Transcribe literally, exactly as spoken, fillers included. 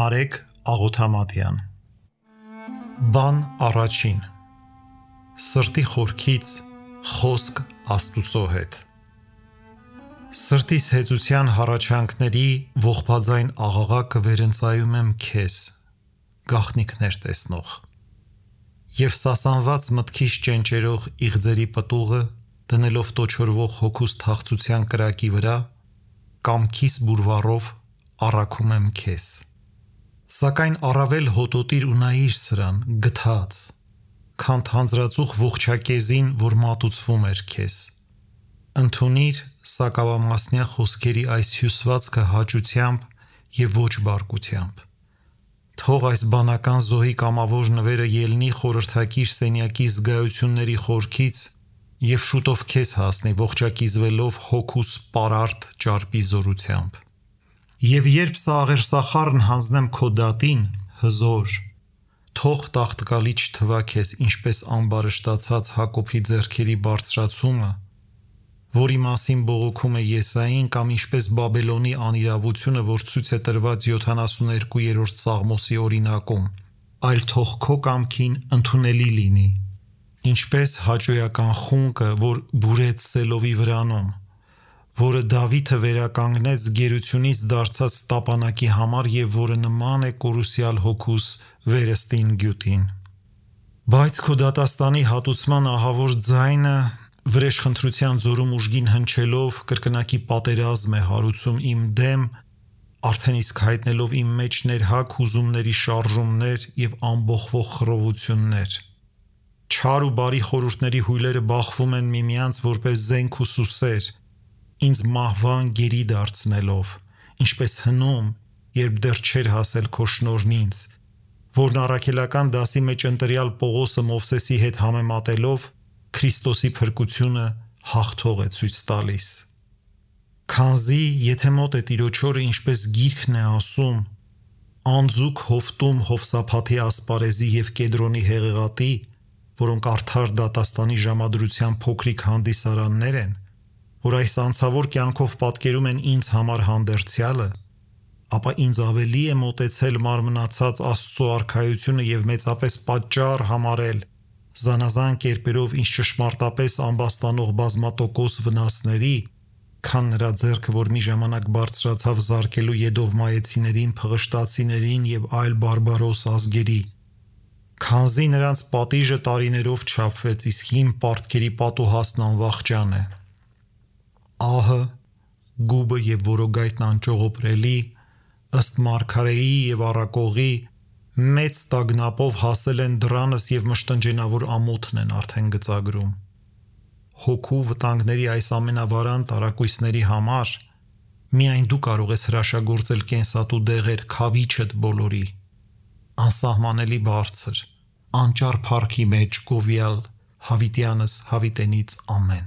Նարեկ Աղոթամատյան Բան առաջին Սրտի խորքից խոսք Աստուծո հետ Սրտիս հեծության հառաչանքների ողբաձայն աղաղակը վերընծայում եմ քեզ, գաղտնիքներ տեսնող Եվ սասանված մտքիս ճենճերող իղձերի պտուղը դնելով տոչորվող հոգուս թախծության կրակի վրա կամքիս բուրվառով առաքում եմ քեզ Սակայն առավել հոտոտիր ու նայիր սրան, գթած Քան թանձրածուխ ողջակեզին, որ մատուցվում էր քեզ Ընդունիր սակավամասնյա խոսքերի այս հյուսվածքը հաճությամբ և ոչ բարկությամբ Թող այս բանական զոհի կամավոր նվերը ելնի խորհրդակիր սենյակի զգայությունների խորքից և շուտով քեզ հասնի ողջակիզվելով հոգուս պարարտ ճարպի զորությամբ Եվ երբ սա աղերսախառն հանձնեմ քո դատին, հզոր, թող տաղտկալի չթվա քեզ ինչպես ամբարշտացած Հակոբի ձեռքերի բարձրացումը, որի մասին բողոքում է Եսային կամ ինչպես Բաբելոնի անիրավությունը, որ ցույց է տրված յոթանասուներկուերորդ Սաղմոսի օրինակում, այլ թող քո կամքին ընդունելի լինի, ինչպես հաճոյական խունկը, որ բուրեց Սելովի վրանում, որը Դավիթը վերականգնեց գերությունից դարձած տապանակի համար և որը նման է կորուսյալ հոգուս վերստին գյուտին։ Բայց քո դատաստանի հատուցման ահավոր ձայնը վրեժխնդրության ձորում ուժգին հնչելով կրկնակի պատերազմ է հարուցում իմ դեմ, արդեն իսկ հայտնելով իմ մեջ ներհակ հուզումների շարժումներ և ամբոխվող խռովություններ։ Չար ու բարի խորհուրդների հույլերը բախվում են միմյանց որպես զենք ու սուսեր, ինձ մահվան գերի դարձնելով, ինչպես հնում, երբ դեռ չէր հասել քո շնորհն ինձ, որն առաքելական դասի մեջ ընտրյալ Պողոսը Մովսեսի հետ համեմատելով Քրիստոսի փրկությունը հաղթող է ցույց տալիս։ Քանզի եթե մոտ է Տիրոջ օրը ինչպես գիրքն է ասում, անձուկ հովտում Հովսափաթի ասպարեզի և Կեդրոնի հեղեղատի, որոնք արդար դատաստանի ժամադրության փոքրիկ հանդիսարաններ են, որ այս անցավոր կյանքով պատկերում են ինձ համար հանդերձյալը, ապա ինձ ավելի է մոտեցել մարմնացած Աստծո արքայությունը և մեծապես պատճառ համարել զանազան կերպերով ինձ ճշմարտապես ամբաստանող բազմատոկոս վնասների, քան նրա ձեռքը, որ մի ժամանակ բարձրացավ զարկելու Եդովմայեցիներին, Փղշտացիներին և այլ բարբարոս ազգերի, քանզի նրանց պատիժը տարիներով չափվեց, իսկ իմ պարտքերի պատուհասն անվախճան է։ Ահը, գուբը և որոգայթն անճողոպրելի, ըստ մարգարեի և առակողի, մեծ տագնապով հասել են դրանս և մշտնջենավոր ամոթն են արդեն գծագրում։ Հոգու վտանգների այս ամենավարան տարակույսների համար միայն դու կարող ես հրաշագործել կենսատու դեղեր քավիչդ բոլորի, անսահմանելի բարձր, անճար փառքի մեջ գովյալ հավիտյանս հավիտենից ամեն։